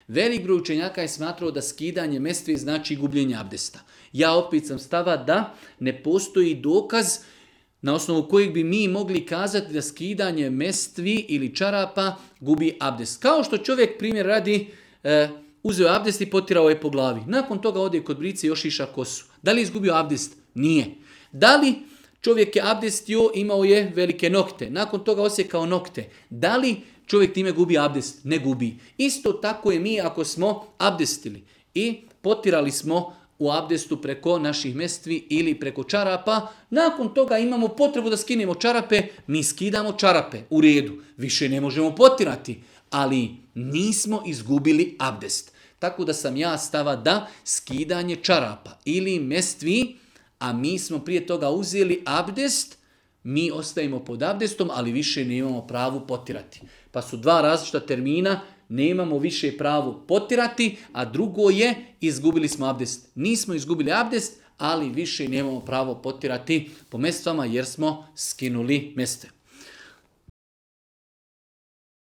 Velik broj učenjaka je smatrao da skidanje mestvi znači gubljenje abdesta. Ja opet sam stava da ne postoji dokaz na osnovu kojeg bi mi mogli kazati da skidanje mestvi ili čarapa gubi abdest. Kao što čovjek, primjer radi, uzeo abdest i potirao je po glavi. Nakon toga ode kod brice i još iša kosu. Da li je izgubio abdest? Nije. Da li čovjek je abdestio, imao je velike nokte. Nakon toga osjekao nokte. Da li čovjek time gubi abdest? Ne gubi. Isto tako je mi ako smo abdestili i potirali smo u abdestu preko naših mestvi ili preko čarapa. Nakon toga imamo potrebu da skinemo čarape, mi skidamo čarape. U redu, više ne možemo potirati, ali nismo izgubili abdest. Tako da sam ja stava da skidanje čarapa ili mestvi, a mi smo prije toga uzeli abdest, mi ostajemo pod abdestom, ali više nemamo pravu potirati. Pa su dva različita termina, nemamo više pravu potirati, a drugo je izgubili smo abdest. Nismo izgubili abdest, ali više nemamo pravo potirati po mestvama jer smo skinuli mestve.